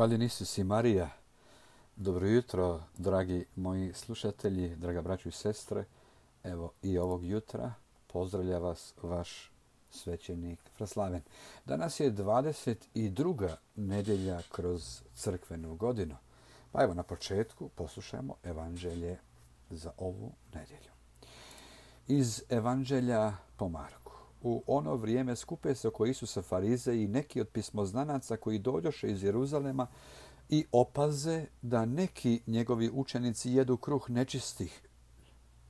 Hvaljen Isus i Marija. Dobro jutro, dragi moji slušatelji, draga braćo i sestre. Evo i ovog jutra pozdravlja vas vaš svećenik Fraslaven. Danas je 22. nedjelja kroz crkvenu godinu. Pa evo na početku poslušajmo evanđelje za ovu nedjelju. Iz evanđelja po Marku. U ono vrijeme skupe se oko Isusa farizeji i neki od pismoznanaca koji dođoše iz Jeruzalema i opaze da neki njegovi učenici jedu kruh nečistih,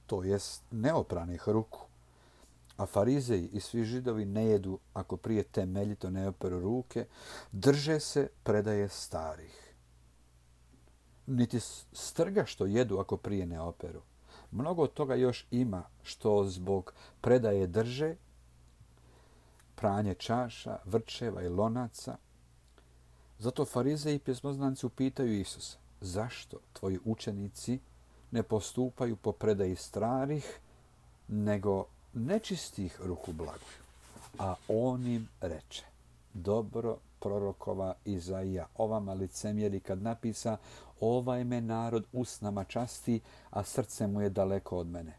to jest neopranih ruku. A farizeji i svi židovi ne jedu ako prije temeljito ne operu ruke, drže se predaje starih. Niti strga što jedu ako prije ne operu. Mnogo od toga još ima što zbog predaje drže, pranje čaša, vrčeva i lonaca. Zato farizeji i pismoznanci upitaju Isusa, zašto tvoji učenici ne postupaju po predaji starih, nego nečistih ruku blaguju? A on im reče, dobro prorokova Izaija, ovama licemjeri kad napisa, ovaj me narod usnama časti, a srce mu je daleko od mene.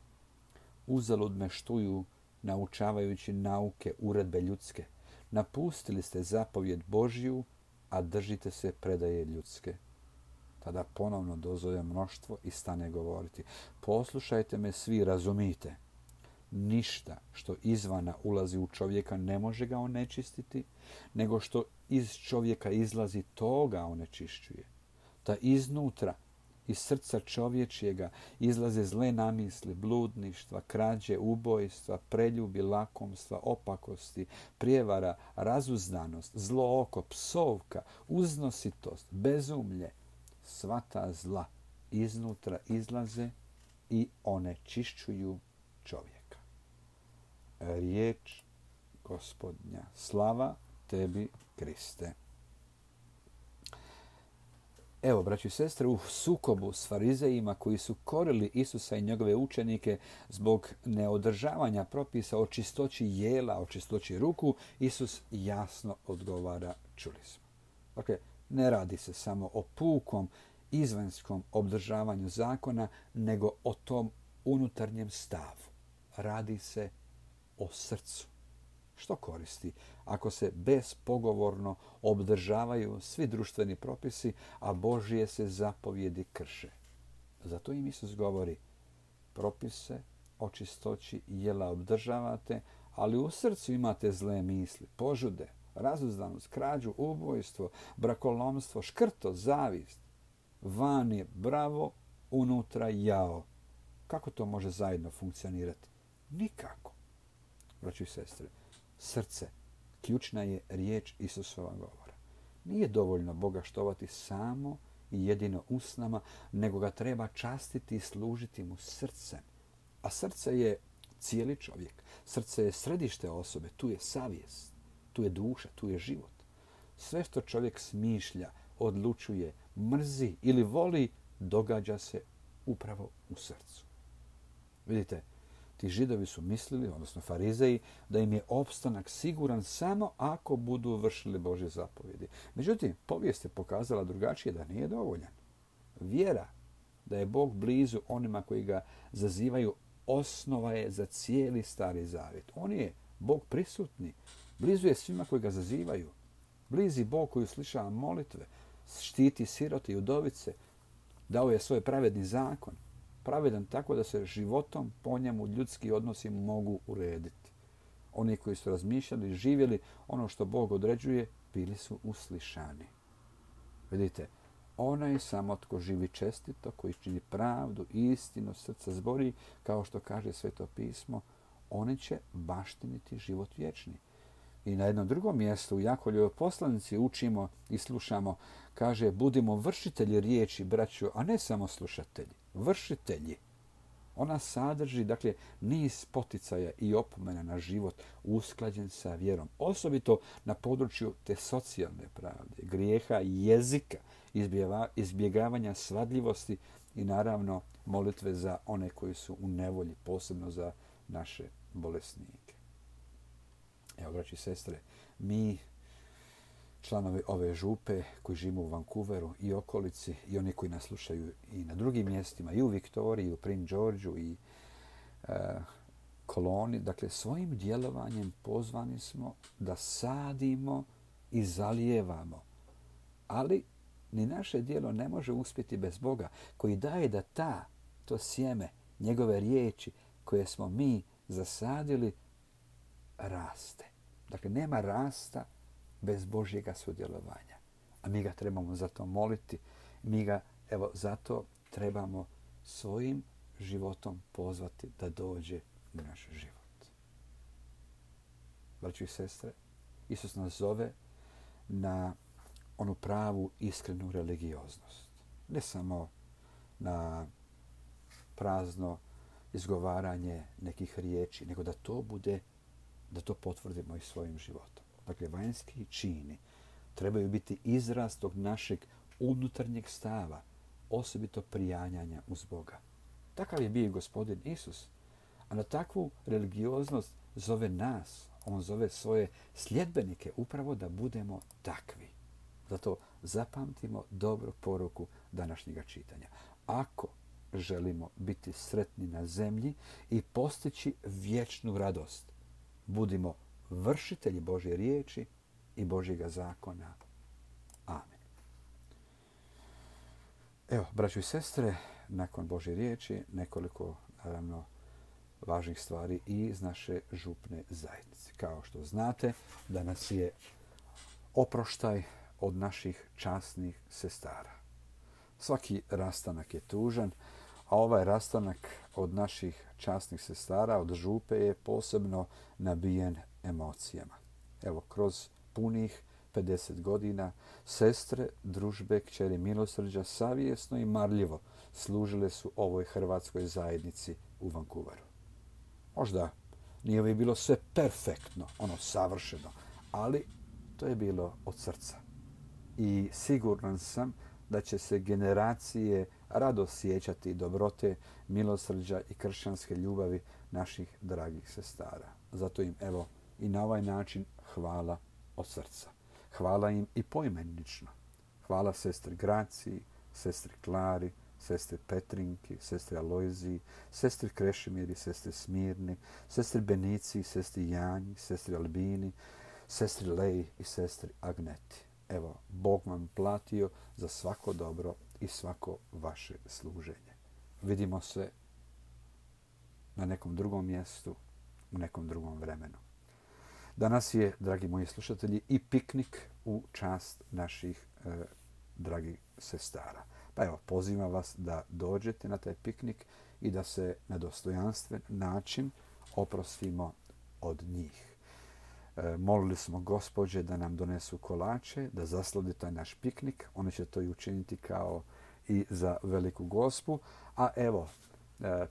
Uzalud me štuju, naučavajući nauke, uredbe ljudske. Napustili ste zapovjed Božju, a držite se predaje ljudske. Tada ponovno dozove mnoštvo i stane govoriti. Poslušajte me svi, razumite. Ništa što izvana ulazi u čovjeka ne može ga onečistiti, nego što iz čovjeka izlazi, to ga onečišćuje. Ta iznutra, iz srca čovječjega izlaze zle namisli, bludništva, krađe, ubojstva, preljubi, lakomstva, opakosti, prijevara, razuzdanost, zlo oko, psovka, uznositost, bezumlje. Sva ta zla iznutra izlaze i onečišćuju čovjeka. Riječ Gospodnja. Slava tebi, Kriste. Evo, braći i sestre, u sukobu s farizejima koji su korili Isusa i njegove učenike zbog neodržavanja propisa o čistoći jela, o čistoći ruku, Isus jasno odgovara, čuli smo. Dakle, ne radi se samo o pukom izvanjskom obdržavanju zakona, nego o tom unutarnjem stavu. Radi se o srcu. Što koristi ako se bespogovorno obdržavaju svi društveni propisi, a Božje se zapovjedi krše? Zato im Isus govori, propise o čistoći jela obdržavate, ali u srcu imate zle misli, požude, razuzdanost, krađu, ubojstvo, brakolomstvo, škrto, zavist. Van je bravo, unutra jao. Kako to može zajedno funkcionirati? Nikako. Braći i sestre, srce, ključna je riječ Isusova govora. Nije dovoljno Boga štovati samo i jedino usnama, nego ga treba častiti i služiti mu srcem. A srce je cijeli čovjek. Srce je središte osobe, tu je savjest, tu je duša, tu je život. Sve što čovjek smišlja, odlučuje, mrzi ili voli, događa se upravo u srcu. Vidite, ti židovi su mislili, odnosno farizeji, da im je opstanak siguran samo ako budu vršili Božje zapovjedi. Međutim, povijest je pokazala drugačije, da nije dovoljan. Vjera da je Bog blizu onima koji ga zazivaju osnova je za cijeli Stari Zavjet. On je Bog prisutni, blizu je svima koji ga zazivaju. Blizi Bog koji uslišava molitve, štiti sirote i udovice, dao je svoj pravedni zakon. Pravedan tako da se životom po njemu ljudski odnosi mogu urediti. Oni koji su razmišljali i živjeli ono što Bog određuje, bili su uslišani. Vidite, onaj samo tko živi čestito, koji čini pravdu, istinu, srca zbori, kao što kaže Sveto pismo, oni će baštiniti život vječni. I na jednom drugom mjestu u Jakovljevoj poslanici učimo i slušamo, kaže, budimo vršitelji riječi, braćo, a ne samo slušatelji. Vršitelji. Ona sadrži, dakle, niz poticaja i opomena na život usklađen sa vjerom. Osobito na području te socijalne pravde, grijeha, jezika, izbjegavanja svadljivosti i naravno molitve za one koji su u nevolji, posebno za naše bolesnike. Evo, braći i sestre, mi članovi ove župe koji žive u Vancouveru i okolici i oni koji nas slušaju i na drugim mjestima, i u Viktoriji, i u Prince Georgeu i Koloni. Dakle, svojim djelovanjem pozvani smo da sadimo i zalijevamo. Ali ni naše djelo ne može uspjeti bez Boga koji daje da to sjeme, njegove riječi koje smo mi zasadili, raste. Dakle, nema rasta bez Božjega sudjelovanja. A mi ga trebamo zato moliti. Mi ga, zato trebamo svojim životom pozvati da dođe u naš život. Braćo i sestre, Isus nas zove na onu pravu, iskrenu religioznost. Ne samo na prazno izgovaranje nekih riječi, nego da to bude, da to potvrdimo i svojim životom. Dakle, vanjski čini trebaju biti izraz tog našeg unutarnjeg stava, osobito prijanjanja uz Boga. Takav je bio i Gospodin Isus. A na takvu religioznost zove nas, on zove svoje sljedbenike upravo da budemo takvi. Zato zapamtimo dobru poruku današnjega čitanja. Ako želimo biti sretni na zemlji i postići vječnu radost, budimo vršitelji Božje riječi i Božjega zakona. Amen. Evo, braćo i sestre, nakon Božje riječi nekoliko, naravno, važnih stvari i iz naše župne zajednice. Kao što znate, danas je oproštaj od naših časnih sestara. Svaki rastanak je tužan, a ovaj rastanak od naših časnih sestara, od župe, je posebno nabijen emocijama. Evo, kroz punih 50 godina sestre, družbe, kćeri milosrđa savjesno i marljivo služile su ovoj hrvatskoj zajednici u Vancouveru. Možda nije ovo bilo sve perfektno, savršeno, ali to je bilo od srca. I siguran sam da će se generacije rado sjećati dobrote, milosrđa i kršćanske ljubavi naših dragih sestara. Zato im, i na ovaj način hvala od srca. Hvala im i poimenično. Hvala sestri Graciji, sestri Klari, sestri Petrinki, sestri Alojziji, sestri Krešimiri, sestri Smirni, sestri Benici, sestri Janji, sestri Albini, sestri Leji i sestri Agneti. Bog vam platio za svako dobro i svako vaše služenje. Vidimo se na nekom drugom mjestu, u nekom drugom vremenu. Danas je, dragi moji slušatelji, i piknik u čast naših dragih sestara. Pa pozivam vas da dođete na taj piknik i da se na dostojanstven način oprostimo od njih. Molili smo gospođe da nam donesu kolače, da zaslade taj naš piknik. Oni će to i učiniti kao i za Veliku Gospu. A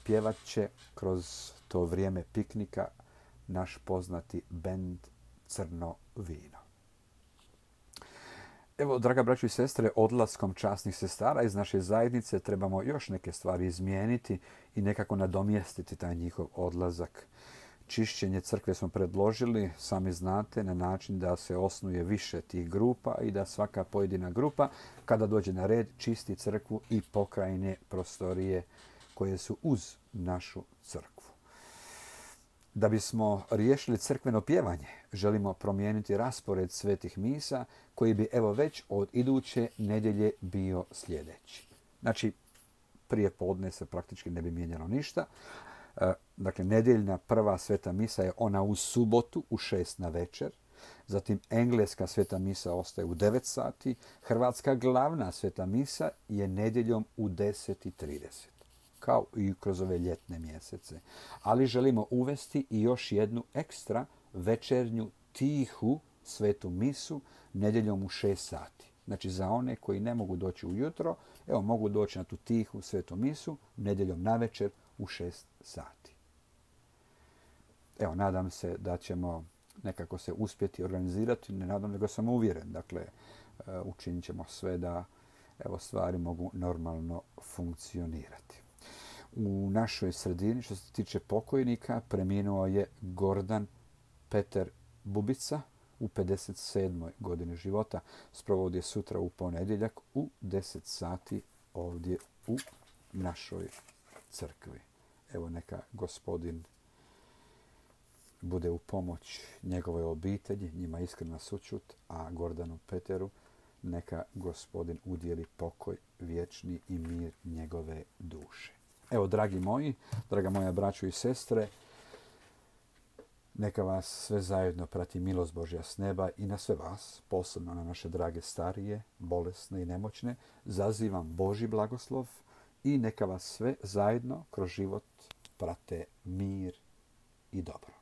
pjevat će kroz to vrijeme piknika naš poznati bend Crno vino. Draga braćo i sestre, odlaskom časnih sestara iz naše zajednice trebamo još neke stvari izmijeniti i nekako nadomjestiti taj njihov odlazak. Čišćenje crkve smo predložili, sami znate, na način da se osnuje više tih grupa i da svaka pojedina grupa, kada dođe na red, čisti crkvu i pokrajine prostorije koje su uz našu crkvu. Da bismo riješili crkveno pjevanje, želimo promijeniti raspored svetih misa koji bi već od iduće nedjelje bio sljedeći. Znači, prije podne se praktički ne bi mijenjalo ništa. Dakle, nedjeljna prva sveta misa je ona u subotu u 6 na večer. Zatim engleska sveta misa ostaje u 9 sati. Hrvatska glavna sveta misa je nedjeljom u 10:30. Kao i kroz ove ljetne mjesece. Ali želimo uvesti i još jednu ekstra večernju tihu svetu misu nedjeljom u 6 sati. Znači, za one koji ne mogu doći ujutro, mogu doći na tu tihu svetu misu nedjeljom navečer u 6 sati. Nadam se da ćemo nekako se uspjeti organizirati. Ne nadam, nego sam uvjeren. Dakle, učinit ćemo sve da stvari mogu normalno funkcionirati. U našoj sredini, što se tiče pokojnika, preminuo je Gordan Peter Bubica, u 57. godini života. Sprovod je sutra u ponedjeljak u 10 sati ovdje u našoj crkvi. Evo neka Gospodin bude u pomoć njegovoj obitelji, njima iskrena sućut, a Gordanu Peteru neka Gospodin udjeli pokoj vječni i mir njegove duše. Evo, dragi moji, draga moja braćo i sestre, neka vas sve zajedno prati milost Božja s neba i na sve vas, posebno na naše drage starije, bolesne i nemoćne, zazivam Božji blagoslov i neka vas sve zajedno kroz život prate mir i dobro.